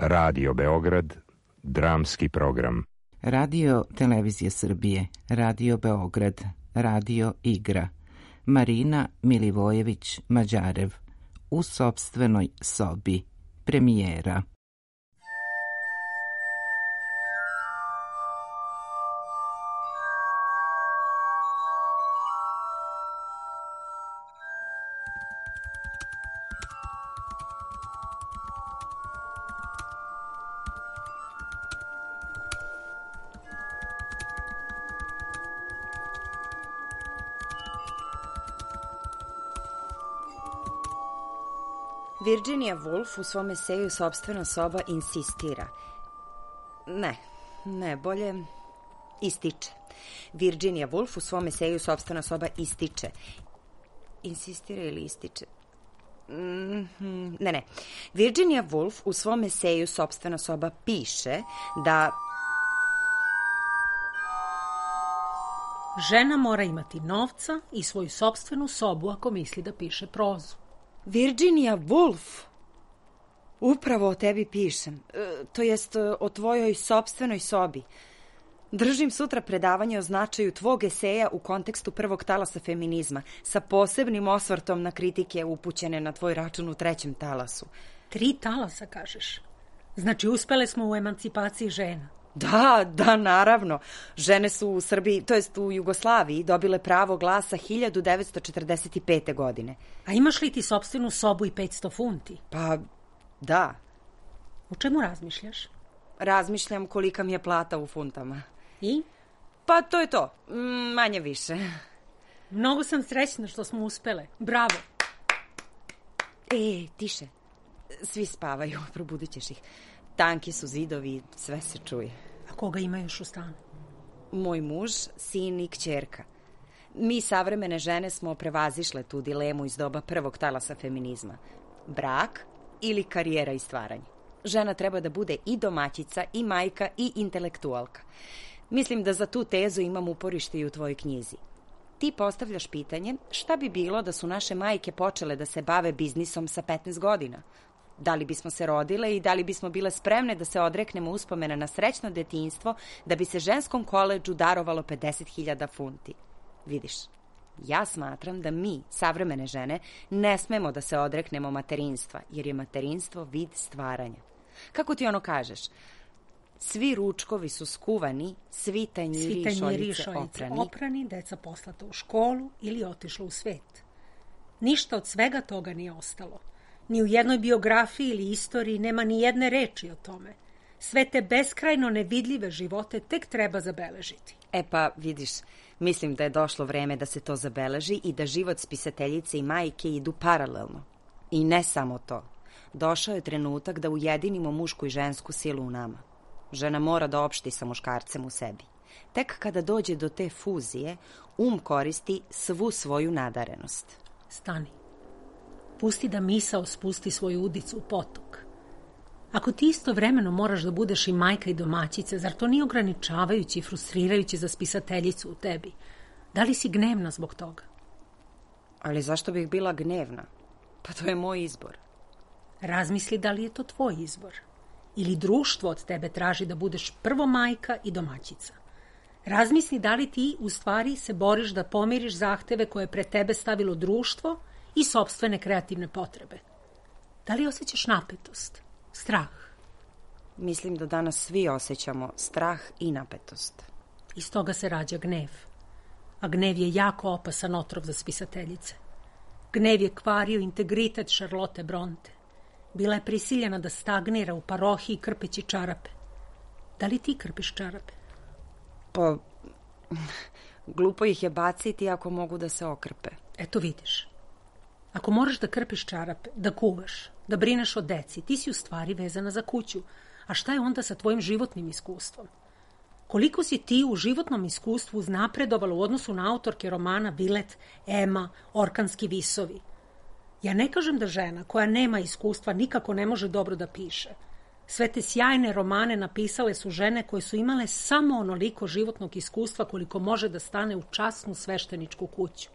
Radio Beograd, dramski program. Radio Televizije Srbije, Radio Beograd, Radio Igra. Marina Milivojević-Mađarev, U sopstvenoj sobi, premijera. Virginia Woolf u svom eseju Sopstvena soba insistira. Bolje ističe. Virginia Woolf u svom eseju Sopstvena soba ističe. Insistira ili ističe? Virginia Woolf u svom eseju Sopstvena soba piše da žena mora imati novca i svoju sopstvenu sobu ako misli da piše prozu. Virginia Woolf, upravo o tebi pišem, to jest o tvojoj sopstvenoj sobi. Držim sutra predavanje o značaju tvog eseja u kontekstu prvog talasa feminizma, sa posebnim osvrtom na kritike upućene na tvoj račun u trećem talasu. 3 talasa, kažeš? Znači, uspele smo u emancipaciji žena. Da, naravno. Žene su u Srbiji, to jest u Jugoslaviji, dobile pravo glasa 1945. godine. A imaš li ti sopstvenu sobu i 500 funti? Pa, da. U čemu razmišljaš? Razmišljam kolika mi je plata u funtama. I? Pa to je to, manje više. Mnogo sam srećna što smo uspele. Bravo. Tiše. Svi spavaju, probudit ćeš ih. Tanki su zidovi, sve se čuje. A koga ima još u stanu? Moj muž, sin i kćerka. Mi savremene žene smo prevazišle tu dilemu iz doba prvog talasa feminizma. Brak ili karijera i stvaranje. Žena treba da bude i domaćica, i majka, i intelektualka. Mislim da za tu tezu imam uporište i u tvojoj knjizi. Ti postavljaš pitanje šta bi bilo da su naše majke počele da se bave biznisom sa 15 godina? Da li bismo se rodile i da li bismo bile spremne da se odreknemo uspomena na srećno detinjstvo da bi se ženskom koledžu darovalo 50.000 funti? Vidiš, ja smatram da mi, savremene žene, ne smemo da se odreknemo materinstva, jer je materinstvo vid stvaranja. Kako ti ono kažeš? Svi ručkovi su skuvani, svi tanjiri i šoljice oprani, deca poslata u školu ili otišla u svet. Ništa od svega toga nije ostalo. Ni u jednoj biografiji ili istoriji nema ni jedne reči o tome. Sve te beskrajno nevidljive živote tek treba zabeležiti. Pa, vidiš, mislim da je došlo vreme da se to zabeleži i da život spisateljice i majke idu paralelno. I ne samo to. Došao je trenutak da ujedinimo mušku i žensku silu u nama. Žena mora da opšti sa muškarcem u sebi. Tek kada dođe do te fuzije, koristi svu svoju nadarenost. Stani. Pusti da misao spusti svoju udicu u potok. Ako ti istovremeno moraš da budeš i majka i domaćica, zar to nije ograničavajući i frustrirajući za spisateljicu u tebi? Da li si gnevna zbog toga? Ali zašto bih bila gnevna? Pa to je moj izbor. Razmisli da li je to tvoj izbor. Ili društvo od tebe traži da budeš prvo majka i domaćica. Razmisli da li ti u stvari se boriš da pomiriš zahteve koje je pred tebe stavilo društvo i sopstvene kreativne potrebe. Da li osjećaš napetost, strah? Mislim da danas svi osjećamo strah i napetost. Iz toga se rađa gnev. A gnev je jako opasan otrov za spisateljice. Gnev je kvario integritet Charlotte Bronte. Bila je prisiljena da stagnira u parohiji krpeći čarape. Da li ti krpiš čarape? Pa, glupo ih je baciti ako mogu da se okrpe. Eto vidiš. Ako moraš da krpiš čarape, da kuvaš, da brineš o deci, ti si u stvari vezana za kuću. A šta je onda sa tvojim životnim iskustvom? Koliko si ti u životnom iskustvu uznapredovala u odnosu na autorke romana Vilet, Ema, Orkanski visovi? Ja ne kažem da žena koja nema iskustva nikako ne može dobro da piše. Sve te sjajne romane napisale su žene koje su imale samo onoliko životnog iskustva koliko može da stane u časnu svešteničku kuću.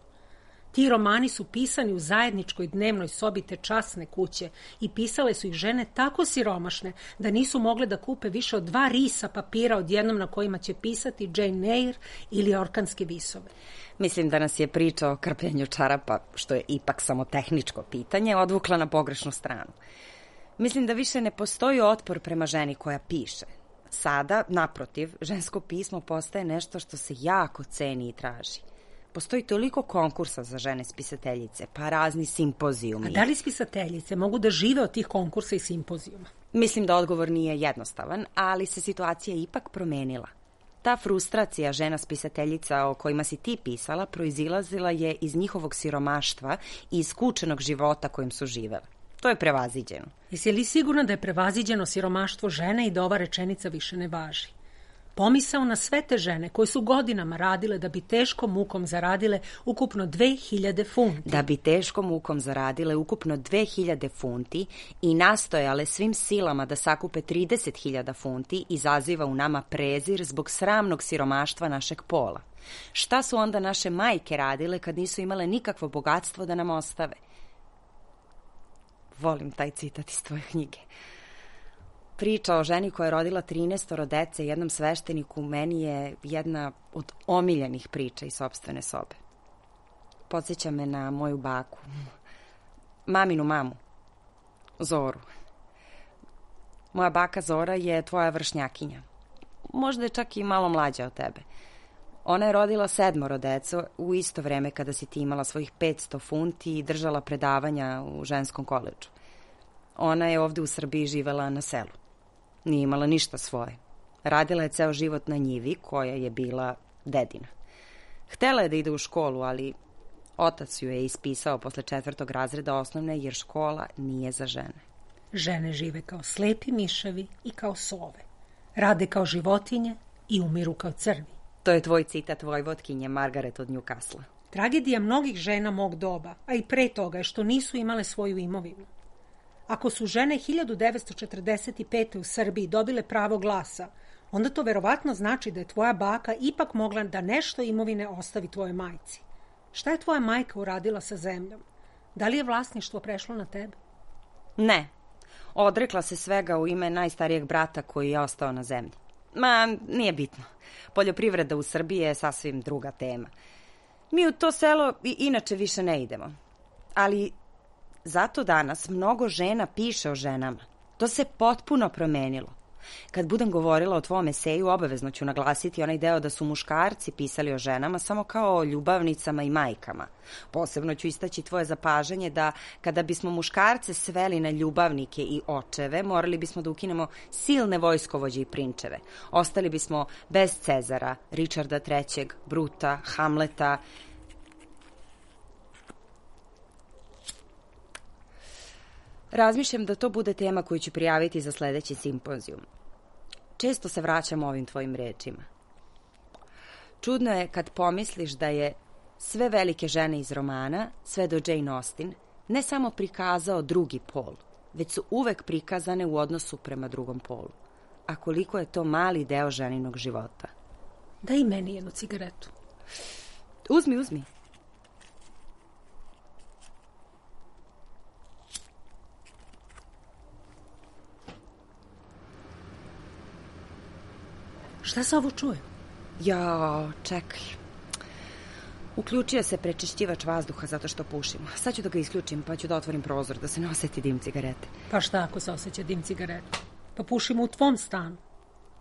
Ti romani su pisani u zajedničkoj dnevnoj sobi te časne kuće i pisale su ih žene tako siromašne da nisu mogle da kupe više od 2 risa papira odjednom na kojima će pisati Jane Eyre ili orkanske visove. Mislim da nas je priča o krpljenju čarapa, što je ipak samo tehničko pitanje, odvukla na pogrešnu stranu. Mislim da više ne postoji otpor prema ženi koja piše. Sada, naprotiv, žensko pismo postaje nešto što se jako ceni i traži. Postoji toliko konkursa za žene spisateljice, pa razni simpozijumi. A da li spisateljice mogu da žive od tih konkursa i simpozijuma? Mislim da odgovor nije jednostavan, ali se situacija ipak promenila. Ta frustracija žena spisateljica o kojima si ti pisala proizilazila je iz njihovog siromaštva i iz skučenog života kojim su živele. To je prevaziđeno. Jesi li sigurna da je prevaziđeno siromaštvo žene i da ova rečenica više ne važi? Pomisao na sve te žene koje su godinama radile da bi teškom mukom zaradile ukupno 2000 funti. Da bi teškom mukom zaradile ukupno 2000 funti i nastojale svim silama da sakupe 30.000 funti izaziva u nama prezir zbog sramnog siromaštva našeg pola. Šta su onda naše majke radile kad nisu imale nikakvo bogatstvo da nam ostave? Volim taj citat iz tvoje knjige. Priča o ženi koja je rodila 13 dece jednom svešteniku meni je jedna od omiljenih priča iz sopstvene sobe. Podsjeća me na moju baku, maminu mamu, Zoru. Moja baka Zora je tvoja vršnjakinja. Možda je čak i malo mlađa od tebe. Ona je rodila 7 deca u isto vreme kada si ti imala svojih 500 funti i držala predavanja u ženskom koledžu. Ona je ovde u Srbiji živela na selu. Nije imala ništa svoje. Radila je ceo život na njivi koja je bila dedina. Htela je da ide u školu, ali otac ju je ispisao posle 4. razreda osnovne jer škola nije za žene. Žene žive kao slepi miševi i kao sove. Rade kao životinje i umiru kao crvi. To je tvoj citat vojvotkinje Margaret od Newcastle. Tragedija mnogih žena mog doba, a i pre toga je što nisu imale svoju imovinu. Ako su žene 1945. u Srbiji dobile pravo glasa, onda to verovatno znači da je tvoja baka ipak mogla da nešto imovine ostavi tvojoj majci. Šta je tvoja majka uradila sa zemljom? Da li je vlasništvo prešlo na tebe? Ne. Odrekla se svega u ime najstarijeg brata koji je ostao na zemlji. Nije bitno. Poljoprivreda u Srbiji je sasvim druga tema. Mi u to selo i inače više ne idemo. Ali zato danas mnogo žena piše o ženama. To se potpuno promenilo. Kad budem govorila o tvom eseju, obavezno ću naglasiti onaj deo da su muškarci pisali o ženama samo kao o ljubavnicama i majkama. Posebno ću istaći tvoje zapažanje da kada bismo muškarce sveli na ljubavnike i očeve, morali bismo da ukinemo silne vojskovođe i prinčeve. Ostali bismo bez Cezara, Richarda III, Bruta, Hamleta. Razmišljam da to bude tema koju ću prijaviti za sledeći simpozijum. Često se vraćam ovim tvojim rečima. Čudno je kad pomisliš da je sve velike žene iz romana, sve do Jane Austen, ne samo prikazao drugi pol, već su uvek prikazane u odnosu prema drugom polu. A koliko je to mali deo ženinog života. Daj meni jednu cigaretu. Uzmi. Šta se ovo čuje? Čekaj. Uključio se prečišćivač vazduha zato što pušimo. Sad ću da ga isključim pa ću da otvorim prozor da se ne oseti dim cigarete. Pa šta ako se osjeća dim cigarete? Pa pušimo u tvom stanu.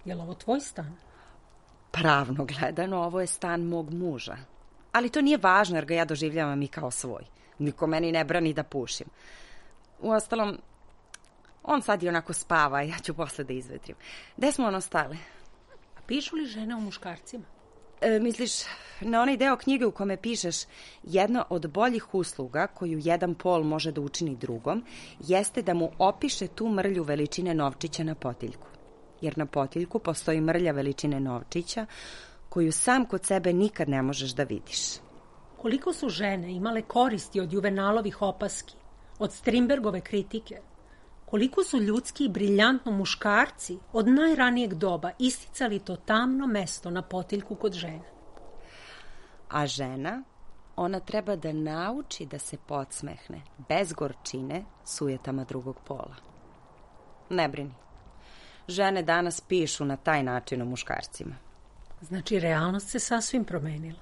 Je li ovo tvoj stan? Pravno gledano, ovo je stan mog muža. Ali to nije važno jer ga ja doživljavam i kao svoj. Niko meni ne brani da pušim. Uostalom, on sad i onako spava, ja ću posle da izvetrim. Gde smo ostale? Pišu li žene o muškarcima? Misliš na onaj deo knjige u kome pišeš jedna od boljih usluga koju jedan pol može da učini drugom jeste da mu opiše tu mrlju veličine novčića na potiljku. Jer na potiljku postoji mrlja veličine novčića koju sam kod sebe nikad ne možeš da vidiš. Koliko su žene imale koristi od Juvenalovih opaski, od Strindbergove kritike? Koliko su ljudski i briljantno muškarci od najranijeg doba isticali to tamno mesto na potiljku kod žene? A žena ona treba da nauči da se podsmehne, bez gorčine, sujetama drugog pola. Ne brini. Žene danas pišu na taj način o muškarcima. Znači, realnost se sasvim promenila.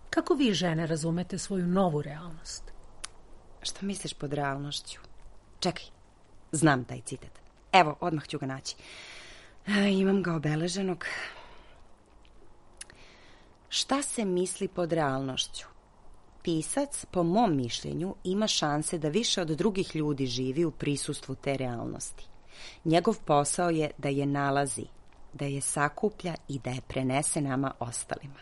Kako vi, žene, razumete svoju novu realnost? Šta misliš pod realnošću? Čekaj, znam taj citat. Evo, odmah ću ga naći. Imam ga obeleženog. Šta se misli pod realnošću? Pisac, po mom mišljenju, ima šanse da više od drugih ljudi živi u prisustvu te realnosti. Njegov posao je da je nalazi, da je sakuplja i da je prenese nama ostalima.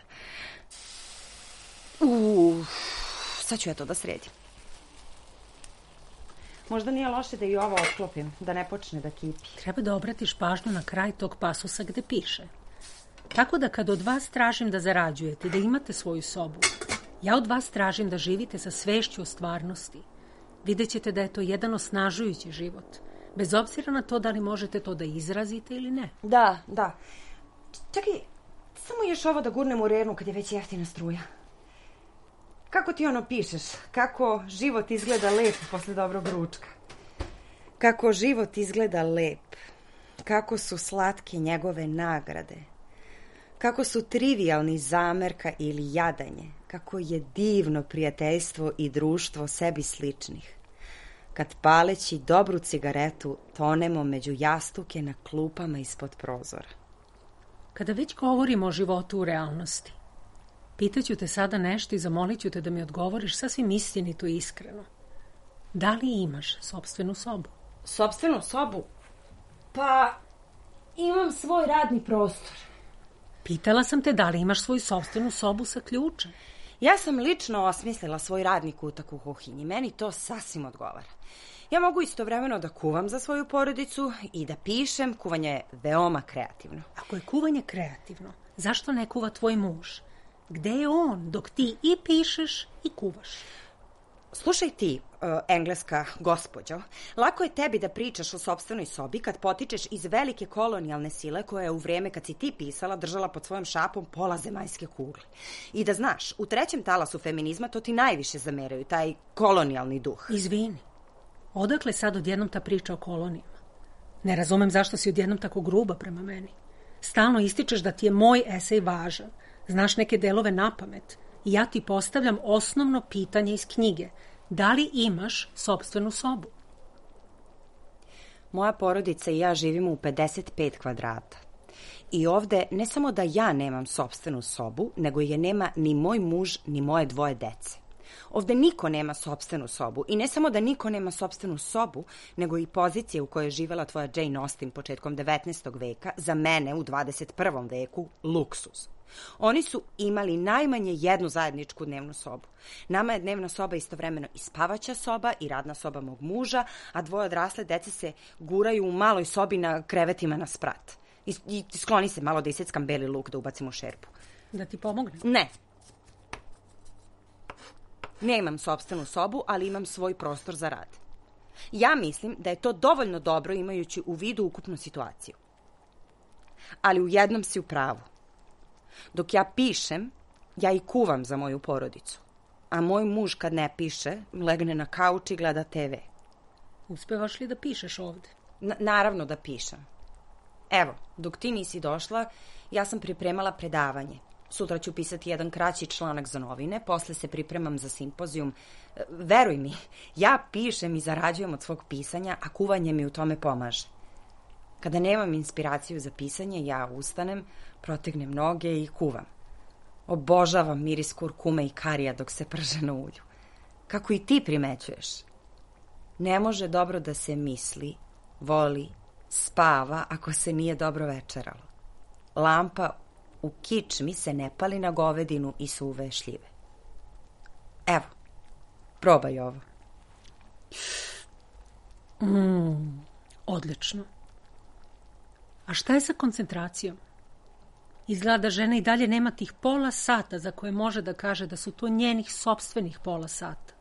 Sad ću ja to da sredim. Možda nije loše da i ovo otklopim, da ne počne da kipi. Treba da obratiš pažnju na kraj tog pasusa gde piše. Tako da kad od vas tražim da zarađujete, da imate svoju sobu, ja od vas tražim da živite sa svešću o stvarnosti. Vidjet ćete da je to jedan osnažujući život, bez obzira na to da li možete to da izrazite ili ne. Da. Čekaj, samo još ovo da gurnem u rernu kad je već jeftina struja. Kako ti ono pišeš? Kako život izgleda lep posle dobrog ručka? Kako život izgleda lep? Kako su slatke njegove nagrade? Kako su trivialni zamerka ili jadanje? Kako je divno prijateljstvo i društvo sebi sličnih? Kad paleći dobru cigaretu tonemo među jastuke na klupama ispod prozora. Kada već govorimo o životu u realnosti, pitaću te sada nešto i zamolit ću te da mi odgovoriš sasvim istinito i iskreno. Da li imaš sopstvenu sobu? Sopstvenu sobu? Pa, imam svoj radni prostor. Pitala sam te da li imaš svoju sopstvenu sobu sa ključem. Ja sam lično osmislila svoj radni kutak u kuhinji. Meni to sasvim odgovara. Ja mogu istovremeno da kuvam za svoju porodicu i da pišem. Kuvanje je veoma kreativno. Ako je kuvanje kreativno, zašto ne kuva tvoj muž? Gde je on dok ti i pišeš i kuvaš? Slušaj ti, engleska gospođo, lako je tebi da pričaš o sopstvenoj sobi kad potičeš iz velike kolonijalne sile koja je u vreme kad si ti pisala držala pod svojom šapom pola zemaljske kugle. I da znaš, u trećem talasu feminizma to ti najviše zameraju, taj kolonijalni duh. Izvini, odakle sad odjednom ta priča o kolonijama? Ne razumem zašto si odjednom tako gruba prema meni. Stalno ističeš da ti je moj esej važan, znaš neke delove napamet i ja ti postavljam osnovno pitanje iz knjige. Da li imaš sopstvenu sobu? Moja porodica i ja živimo u 55 kvadrata. I ovde ne samo da ja nemam sopstvenu sobu, nego je nema ni moj muž, ni moje dvoje dece. Ovde niko nema sopstvenu sobu. I ne samo da niko nema sopstvenu sobu, nego i pozicije u kojoj je živela tvoja Jane Austen početkom 19. veka, za mene u 21. veku, luksuz. Oni su imali najmanje jednu zajedničku dnevnu sobu. Nama je dnevna soba istovremeno i spavaća soba i radna soba mog muža, a dvoje odrasle dece se guraju u maloj sobi na krevetima na sprat. I skloni se malo da iseckam beli luk da ubacim u šerpu. Da ti pomognem? Ne. Ne imam sopstvenu sobu, ali imam svoj prostor za rad. Ja mislim da je to dovoljno dobro imajući u vidu ukupnu situaciju. Ali u jednom si u pravu. Dok ja pišem, ja i kuvam za moju porodicu. A moj muž kad ne piše, legne na kauč i gleda TV. Uspevaš li da pišeš ovde? Naravno da pišem. Evo, dok ti nisi došla, ja sam pripremala predavanje. Sutra ću pisati jedan kraći članak za novine, posle se pripremam za simpozijum. Veruj mi, ja pišem i zarađujem od svog pisanja, a kuvanje mi u tome pomaže. Kada nemam inspiraciju za pisanje, ja ustanem, protegnem noge i kuvam. Obožavam miris kurkume i karija dok se prže na ulju. Kako i ti primećuješ. Ne može dobro da se misli, voli, spava ako se nije dobro večeralo. Lampa u kičmi se ne pali na govedinu i suve šljive. Evo, probaj ovo. Odlično. A šta je sa koncentracijom? Izgleda da žena i dalje nema tih pola sata za koje može da kaže da su to njenih sopstvenih pola sata.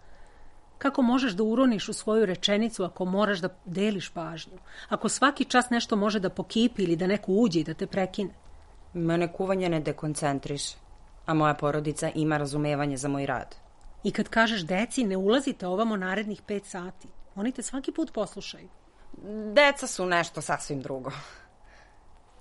Kako možeš da uroniš u svoju rečenicu ako moraš da deliš pažnju? Ako svaki čas nešto može da pokipi ili da neko uđe i da te prekine? Mene kuvanje ne dekoncentriše, a moja porodica ima razumevanje za moj rad. I kad kažeš deci ne ulazite ovamo narednih 5 sati, oni te svaki put poslušaju. Deca su nešto sasvim drugo.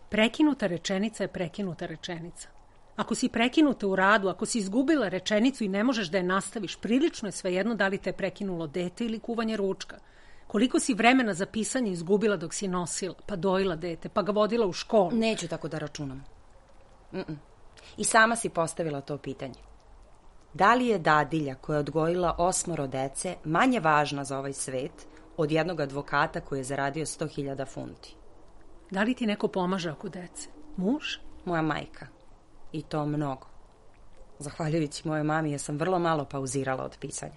Prekinuta rečenica je prekinuta rečenica. Ako si prekinuta u radu, ako si izgubila rečenicu i ne možeš da je nastaviš, prilično je svejedno da li te je prekinulo dete ili kuvanje ručka. Koliko si vremena za pisanje izgubila dok si nosila, pa dojila dete, pa ga vodila u školu. Neću tako da računam. I sama si postavila to pitanje. Da li je dadilja koja je odgojila 8 dece manje važna za ovaj svet od jednog advokata koji je zaradio 100.000 funti? Da li ti neko pomaže oko dece? Muž? Moja majka. I to mnogo. Zahvaljujući mojoj mami, ja sam vrlo malo pauzirala od pisanja.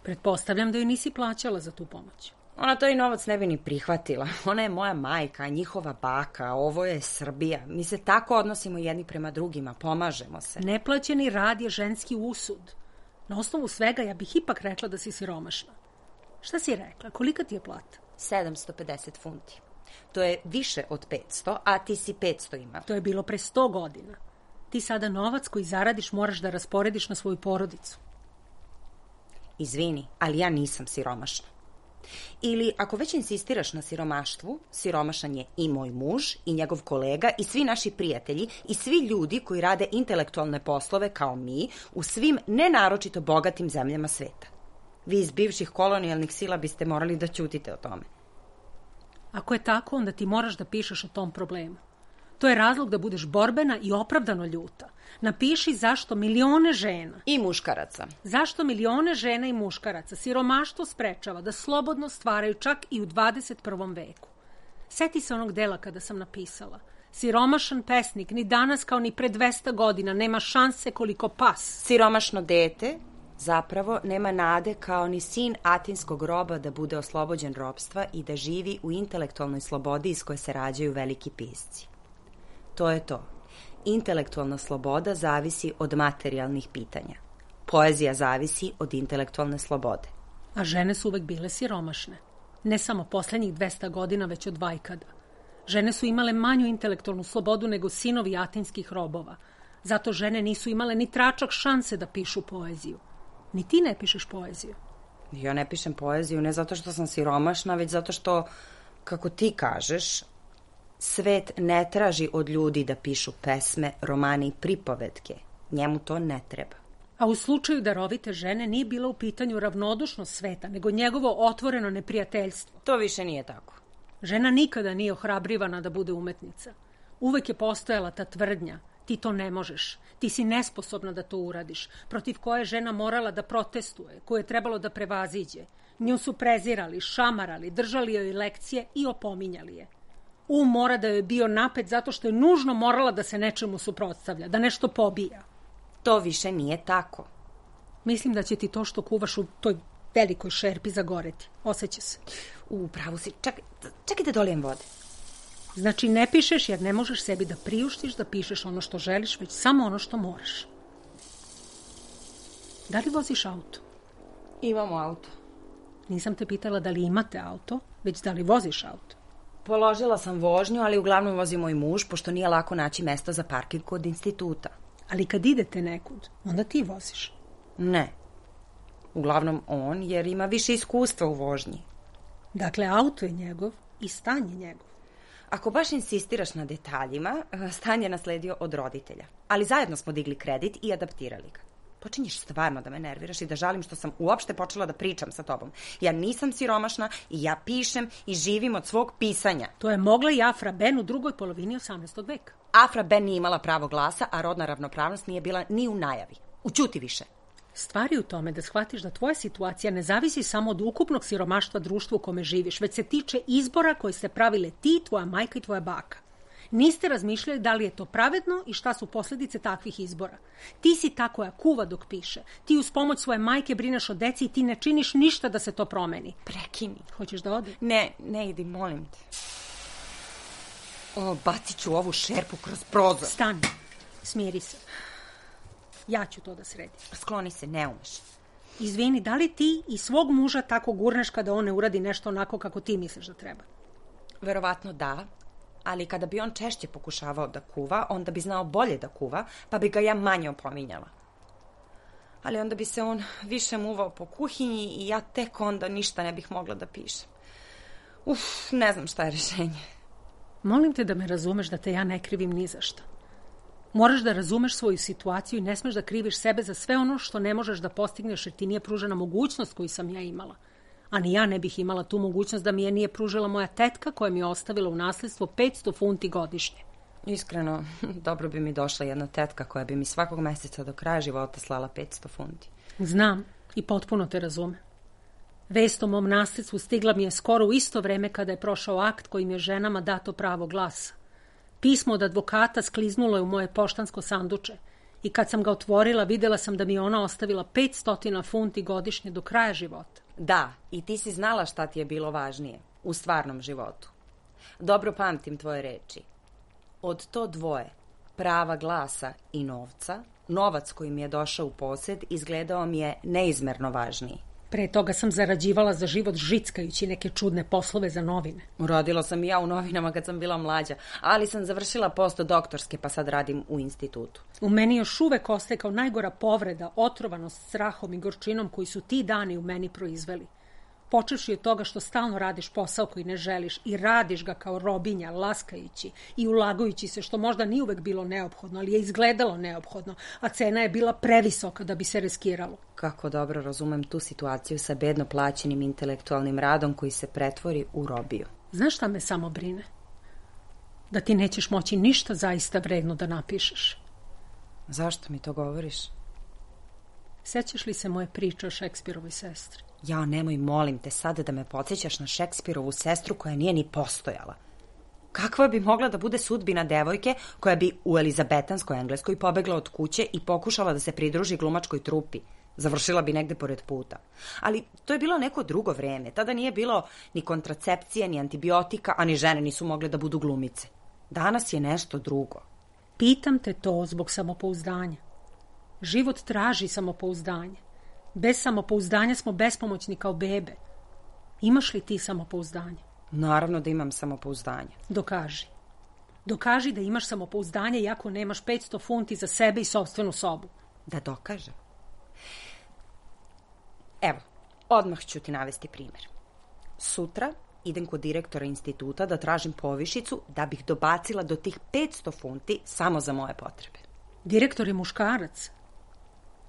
Pretpostavljam da joj nisi plaćala za tu pomoć. Ona to i novac ne bi ni prihvatila. Ona je moja majka, njihova baka, ovo je Srbija. Mi se tako odnosimo jedni prema drugima, pomažemo se. Neplaćeni rad je ženski usud. Na osnovu svega ja bih ipak rekla da si siromašna. Šta si rekla? Kolika ti je plata? 750 funti. To je više od 500, a ti si 500 imala. To je bilo pre 100 godina. Ti sada novac koji zaradiš moraš da rasporediš na svoju porodicu. Izvini, ali ja nisam siromašna. Ili, ako već insistiraš na siromaštvu, siromašan je i moj muž, i njegov kolega, i svi naši prijatelji, i svi ljudi koji rade intelektualne poslove kao mi u svim nenaročito bogatim zemljama sveta. Vi iz bivših kolonijalnih sila biste morali da ćutite o tome. Ako je tako, onda ti moraš da pišeš o tom problemu. To je razlog da budeš borbena i opravdano ljuta. Napiši zašto milione žena i muškaraca. Zašto milione žena i muškaraca siromaštvo sprečava da slobodno stvaraju čak i u 21. veku. Seti se onog dela kada sam napisala. Siromašan pesnik ni danas kao ni pre 200 godina nema šanse koliko pas. Siromašno dete zapravo nema nade kao ni sin atinskog roba da bude oslobođen ropstva i da živi u intelektualnoj slobodi iz koje se rađaju veliki pisci. To je to. Intelektualna sloboda zavisi od materijalnih pitanja. Poezija zavisi od intelektualne slobode. A žene su uvek bile siromašne. Ne samo poslednjih 200 godina, već od vajkada. Žene su imale manju intelektualnu slobodu nego sinovi atinskih robova. Zato žene nisu imale ni tračak šanse da pišu poeziju. Ni ti ne pišeš poeziju. Ja ne pišem poeziju ne zato što sam siromašna, već zato što, kako ti kažeš, svet ne traži od ljudi da pišu pesme, romane i pripovetke. Njemu to ne treba. A u slučaju darovite žene nije bila u pitanju ravnodušnost sveta, nego njegovo otvoreno neprijateljstvo. To više nije tako. Žena nikada nije ohrabrivana da bude umetnica. Uvek je postojala ta tvrdnja. Ti to ne možeš. Ti si nesposobna da to uradiš. Protiv koje je žena morala da protestuje, koje je trebalo da prevaziđe. Nju su prezirali, šamarali, držali joj lekcije i opominjali je. Mora da joj je bio napet zato što je nužno morala da se nečemu suprotstavlja, da nešto pobija. To više nije tako. Mislim da će ti to što kuvaš u toj velikoj šerpi zagoreti. Osjeća se. Pravo si. Čekaj da dolijem vode. Znači ne pišeš jer ne možeš sebi da priuštiš da pišeš ono što želiš, već samo ono što moraš. Da li voziš auto? Imamo auto. Nisam te pitala da li imate auto, već da li voziš auto. Položila sam vožnju, ali uglavnom vozi moj muž, pošto nije lako naći mesto za parking kod instituta. Ali kad idete nekud, onda ti voziš. Ne. Uglavnom on, jer ima više iskustva u vožnji. Dakle, auto je njegov i stan je njegov. Ako baš insistiraš na detaljima, stan je nasledio od roditelja. Ali zajedno smo digli kredit i adaptirali ga. Počinješ stvarno da me nerviraš i da žalim što sam uopšte počela da pričam sa tobom. Ja nisam siromašna i ja pišem i živim od svog pisanja. To je mogla i Afra Ben u drugoj polovini 18. veka. Afra Ben nije imala pravo glasa, a rodna ravnopravnost nije bila ni u najavi. Ućuti više. Stvar je u tome da shvatiš da tvoja situacija ne zavisi samo od ukupnog siromaštva društva u kome živiš, već se tiče izbora koje ste pravile ti, tvoja majka i tvoja baka. Niste razmišljali da li je to pravedno i šta su posljedice takvih izbora. Ti si ta koja kuva dok piše. Ti uz pomoć svoje majke brineš o deci i ti ne činiš ništa da se to promeni. Prekini. Hoćeš da ode? Ne idi, molim te. Bacit ću ovu šerpu kroz prozor. Stani, smiri se. Ja ću to da sredim. Skloni se, ne umeš. Izvini, da li ti i svog muža tako gurneš kada on ne uradi nešto onako kako ti misliš da treba? Verovatno da, ali kada bi on češće pokušavao da kuva, onda bi znao bolje da kuva, pa bi ga ja manje opominjala. Ali onda bi se on više muvao po kuhinji i ja tek onda ništa ne bih mogla da pišem. Ne znam šta je rešenje. Molim te da me razumeš da te ja ne krivim ni za šta. Moraš da razumeš svoju situaciju i ne smeš da kriviš sebe za sve ono što ne možeš da postigneš jer ti nije pružena mogućnost koju sam ja imala. A ni ja ne bih imala tu mogućnost da mi je nije pružila moja tetka koja mi je ostavila u nasledstvo 500 funti godišnje. Iskreno, dobro bi mi došla jedna tetka koja bi mi svakog meseca do kraja života slala 500 funti. Znam i potpuno te razumem. Vest o mom nasledstvu stigla mi je skoro u isto vreme kada je prošao akt kojim je ženama dato pravo glasa. Pismo od advokata skliznulo je u moje poštansko sanduče i kad sam ga otvorila videla sam da mi je ona ostavila 500 funti godišnje do kraja života. Da, i ti si znala šta ti je bilo važnije u stvarnom životu. Dobro pamtim tvoje reči. Od to dvoje, prava glasa i novca, novac koji mi je došao u posed izgledao mi je neizmerno važniji. Pre toga sam zarađivala za život žickajući neke čudne poslove za novine. Uradila sam i ja u novinama kad sam bila mlađa, ali sam završila postdoktorske pa sad radim u institutu. U meni još uvek ostaje kao najgora povreda, otrovanost strahom i gorčinom koji su ti dani u meni proizveli. Počevši od toga što stalno radiš posao koji ne želiš i radiš ga kao robinja, laskajući i ulagajući se što možda nije uvek bilo neophodno, ali je izgledalo neophodno, a cena je bila previsoka da bi se riskiralo. Kako dobro razumem tu situaciju sa bedno plaćenim intelektualnim radom koji se pretvori u robiju. Znaš šta me samo brine? Da ti nećeš moći ništa zaista vredno da napišeš. Zašto mi to govoriš? Sećaš li se moje priče o Šekspirovoj sestri? Ja, nemoj, molim te sada da me podsjećaš na Šekspirovu sestru koja nije ni postojala. Kakva bi mogla da bude sudbina devojke koja bi u elizabetanskoj Engleskoj pobegla od kuće i pokušala da se pridruži glumačkoj trupi? Završila bi negde pored puta. Ali to je bilo neko drugo vreme. Tada nije bilo ni kontracepcije, ni antibiotika, a ni žene nisu mogle da budu glumice. Danas je nešto drugo. Pitam te to zbog samopouzdanja. Život traži samopouzdanje. Bez samopouzdanja smo bespomoćni kao bebe. Imaš li ti samopouzdanje? Naravno da imam samopouzdanje. Dokaži. Dokaži da imaš samopouzdanje iako nemaš 500 funti za sebe i sopstvenu sobu. Da dokažem? Evo, odmah ću ti navesti primjer. Sutra idem kod direktora instituta da tražim povišicu da bih dobacila do tih 500 funti samo za moje potrebe. Direktor je muškarac.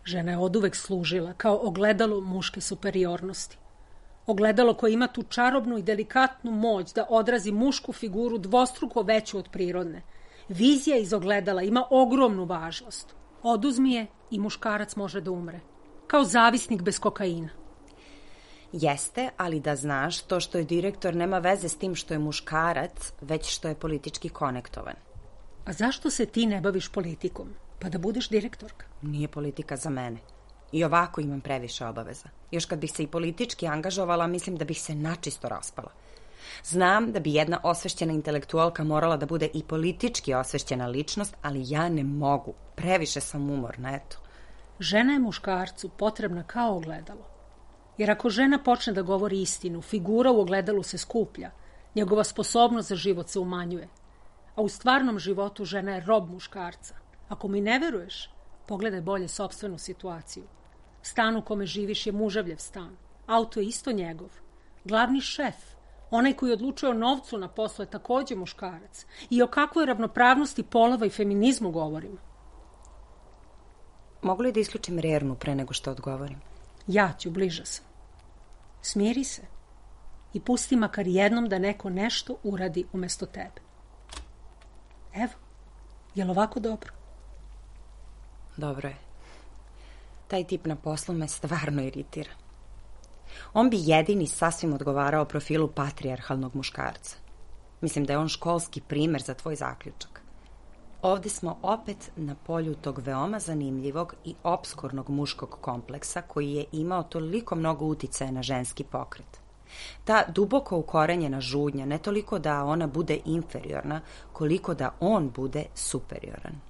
Žena je oduvek služila kao ogledalo muške superiornosti. Ogledalo koje ima tu čarobnu i delikatnu moć da odrazi mušku figuru dvostruko veću od prirodne. Vizija iz ogledala ima ogromnu važnost. Oduzmi je i muškarac može da umre. Kao zavisnik bez kokaina. Jeste, ali da znaš, to što je direktor nema veze s tim što je muškarac, već što je politički konektovan. A zašto se ti ne baviš politikom? Pa da budeš direktorka. Nije politika za mene. I ovako imam previše obaveza. Još kad bih se i politički angažovala, mislim da bih se načisto raspala. Znam da bi jedna osvešćena intelektualka morala da bude i politički osvešćena ličnost, ali ja ne mogu. Previše sam umorna, eto. Žena je muškarcu potrebna kao ogledalo. Jer ako žena počne da govori istinu, figura u ogledalu se skuplja, njegova sposobnost za život se umanjuje. A u stvarnom životu žena je rob muškarca. Ako mi ne veruješ, pogledaj bolje sopstvenu situaciju. Stan u kome živiš je muževljev stan. Auto je isto njegov. Glavni šef, onaj koji odlučuje o novcu na poslu, je takođe muškarac. I o kakvoj ravnopravnosti polova i feminizmu govorimo? Mogu li da isključim rernu pre nego što odgovorim? Ja ću, bliža sam. Smiri se i pusti makar jednom da neko nešto uradi umesto tebe. Evo, je li ovako dobro? Dobro je. Taj tip na poslu me stvarno iritira. On bi jedini sasvim odgovarao profilu patrijarhalnog muškarca. Mislim da je on školski primer za tvoj zaključak. Ovde smo opet na polju tog veoma zanimljivog i opskurnog muškog kompleksa koji je imao toliko mnogo uticaja na ženski pokret. Ta duboko ukorenjena žudnja, ne toliko da ona bude inferiorna, koliko da on bude superioran.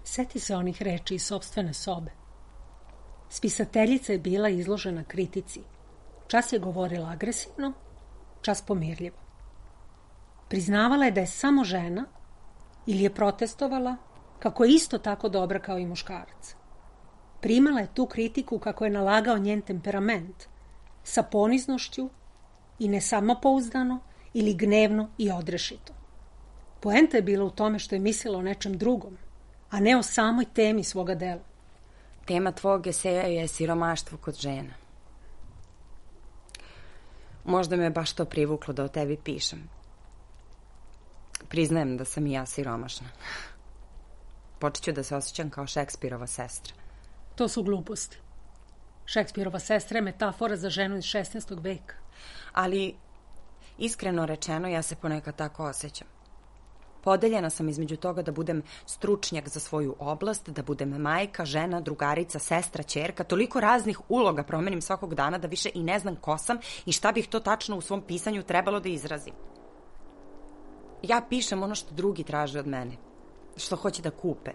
Seti se onih reči iz sopstvene sobe. Spisateljica je bila izložena kritici. Čas je govorila agresivno, čas pomirljivo. Priznavala je da je samo žena ili je protestovala kako je isto tako dobra kao i muškarac. Primala je tu kritiku kako je nalagao njen temperament, sa poniznošću i nesamopouzdano ili gnevno i odrešito. Poenta je bila u tome što je mislila o nečem drugom, a ne o samoj temi svoga dela. Tema tvog eseja je siromaštvo kod žena. Možda me baš to privuklo da o tebi pišem. Priznajem da sam i ja siromašna. Počet ću da se osjećam kao Šekspirova sestra. To su gluposti. Šekspirova sestra je metafora za ženu iz 16. veka. Ali, iskreno rečeno, ja se ponekad tako osjećam. Podeljena sam između toga da budem stručnjak za svoju oblast, da budem majka, žena, drugarica, sestra, ćerka, toliko raznih uloga promenim svakog dana da više i ne znam ko sam i šta bih to tačno u svom pisanju trebalo da izrazim. Ja pišem ono što drugi traže od mene, što hoće da kupe.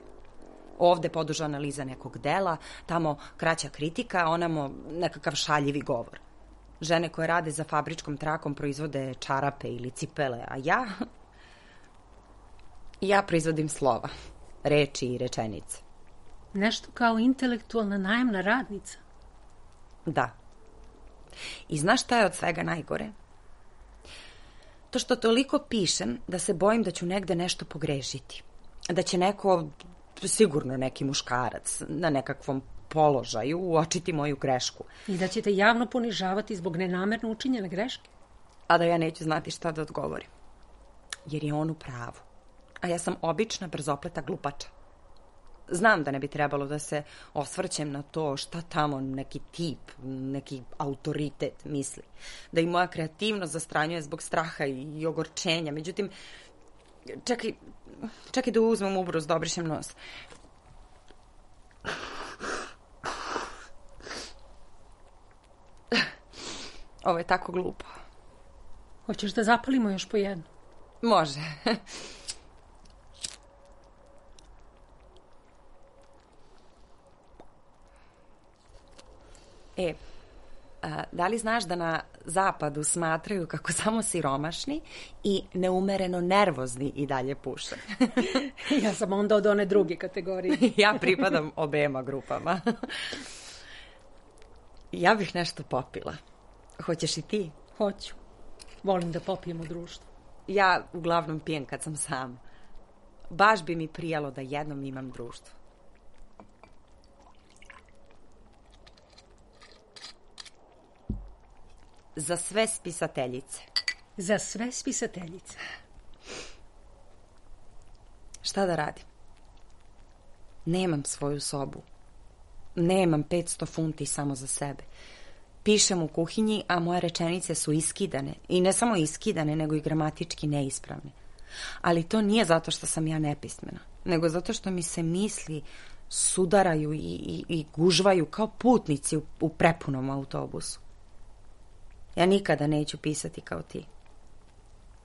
Ovde poduža analiza nekog dela, tamo kraća kritika, onamo nekakav šaljivi govor. Žene koje rade za fabričkom trakom proizvode čarape ili cipele, a ja proizvodim slova, reči i rečenice. Nešto kao intelektualna najamna radnica. Da. I znaš šta je od svega najgore? To što toliko pišem da se bojim da ću negde nešto pogrešiti. Da će neko, sigurno neki muškarac, na nekakvom položaju uočiti moju grešku. I da ćete javno ponižavati zbog nenamerno učinjene greške. A da ja neću znati šta da odgovorim. Jer je on u pravu. A ja sam obična brzopleta glupača. Znam da ne bi trebalo da se osvrćem na to šta tamo neki tip, neki autoritet misli. Da i moja kreativnost zastranjuje zbog straha i ogorčenja. Međutim, čekaj da uzmem ubrus, da obrišem nos. Ovo je tako glupo. Hoćeš da zapalimo još po jednu? Može. Da li znaš da na zapadu smatraju kako samo siromašni i neumereno nervozni i dalje puše? Ja sam onda od one druge kategorije. Ja pripadam obema grupama. Ja bih nešto popila. Hoćeš i ti? Hoću. Volim da popijem u društvu. Ja uglavnom pijem kad sam sama. Baš bi mi prijalo da jednom imam društvo. Za sve spisateljice. Za sve spisateljice. Šta da radim? Nemam svoju sobu. Nemam 500 funti samo za sebe. Pišem u kuhinji, a moje rečenice su iskidane. I ne samo iskidane, nego i gramatički neispravne. Ali to nije zato što sam ja nepismena, nego zato što mi se misli sudaraju i gužvaju kao putnici u prepunom autobusu. Ja nikada neću pisati kao ti.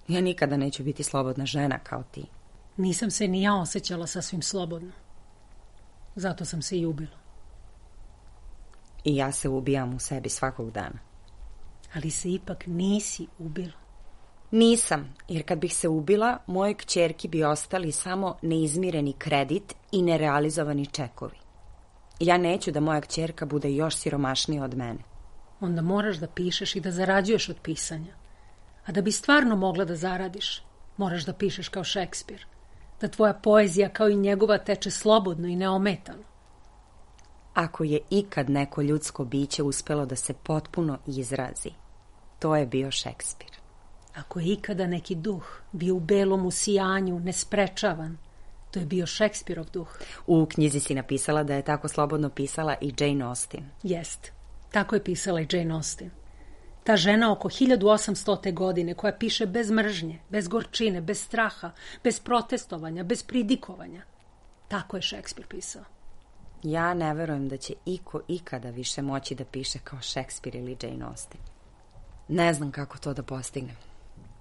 Ja nikada neću biti slobodna žena kao ti. Nisam se ni ja osjećala sasvim slobodno. Zato sam se i ubila. I ja se ubijam u sebi svakog dana. Ali se ipak nisi ubila. Nisam, jer kad bih se ubila, moje kćerki bi ostali samo neizmireni kredit i nerealizovani čekovi. Ja neću da moja kćerka bude još siromašnija od mene. Onda moraš da pišeš i da zarađuješ od pisanja. A da bi stvarno mogla da zaradiš, moraš da pišeš kao Šekspir. Da tvoja poezija kao i njegova teče slobodno i neometano. Ako je ikad neko ljudsko biće uspelo da se potpuno izrazi, to je bio Šekspir. Ako je ikada neki duh bio u belom usijanju, nesprečavan, to je bio Šekspirov duh. U knjizi si napisala da je tako slobodno pisala i Jane Austen. Jest, tako je pisala i Jane Austen. Ta žena oko 1800. godine koja piše bez mržnje, bez gorčine, bez straha, bez protestovanja, bez pridikovanja. Tako je Šekspir pisao. Ja ne verujem da će iko ikada više moći da piše kao Šekspir ili Jane Austen. Ne znam kako to da postignem.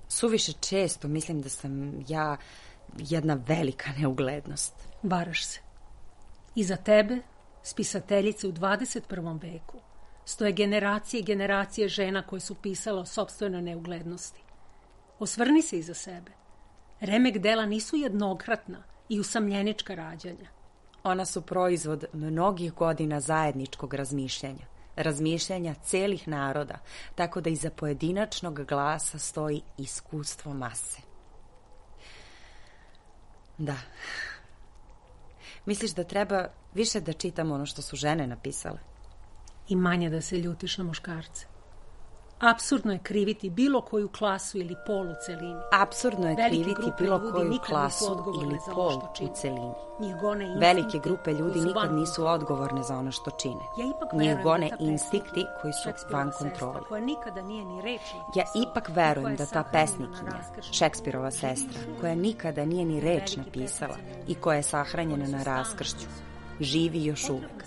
Suviše često mislim da sam ja jedna velika neuglednost. Varaš se. Iza tebe, spisateljice u 21. veku, stoje generacije i generacije žena koje su pisale o sopstvenoj neuglednosti. Osvrni se iza sebe. Remek dela nisu jednokratna i usamljenička rađanja. Ona su proizvod mnogih godina zajedničkog razmišljanja celih naroda, tako da iza pojedinačnog glasa stoji iskustvo mase. Da. Misliš da treba više da čitam ono što su žene napisale? I manje da se ljutiš na muškarce. Apsurdno je kriviti bilo koju klasu ili pol u celini. Apsurdno je kriviti bilo koju klasu ili pol u celini. Velike grupe ljudi nikad nisu odgovorne za ono što čine. Njih gone instinkti koji su van kontrole. Ja ipak verujem da ta pesnikinja, Šekspirova sestra, koja nikada nije ni reč napisala i koja je sahranjena na raskršću, živi još uvek.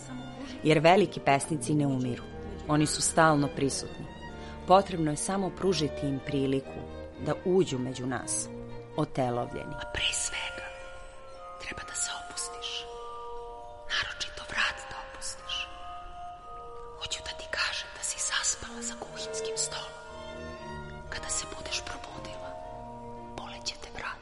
Jer veliki pesnici ne umiru. Oni su stalno prisutni. Potrebno je samo pružiti im priliku da uđu među nas, otelovljeni. A pre svega, treba da se opustiš. Naročito vrat da opustiš. Hoću da ti kažem da si zaspala za kuhinskim stolom. Kada se budeš probudila, boleće te vrat.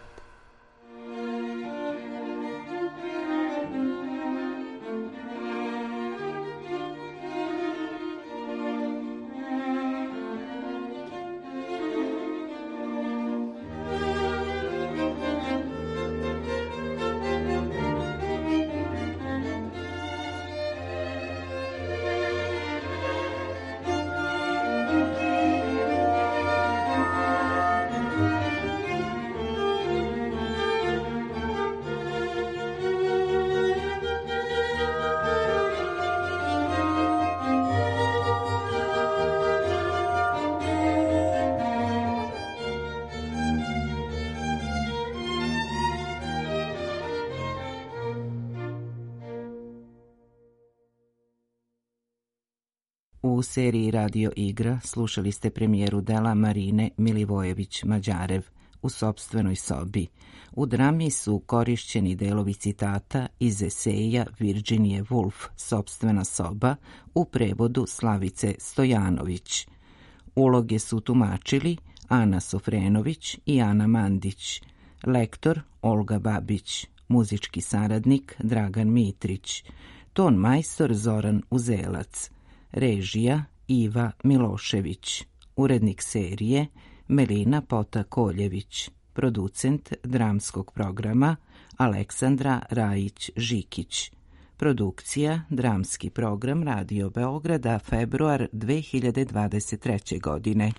U seriji Radio Igra slušali ste premijeru dela Marine Milivojević-Mađarev U sopstvenoj sobi. U drami su korišćeni delovi citata iz eseja Virginije Woolf Sopstvena soba u prevodu Slavice Stojanović. Uloge su tumačili Ana Sofrenović i Ana Mandić, lektor Olga Babić, muzički saradnik Dragan Mitrić, ton majstor Zoran Uzelac, režija Iva Milošević, urednik serije Melina Pota-Koljević, producent dramskog programa Aleksandra Rajić-Žikić, produkcija Dramski program Radio Beograda, februar 2023. godine.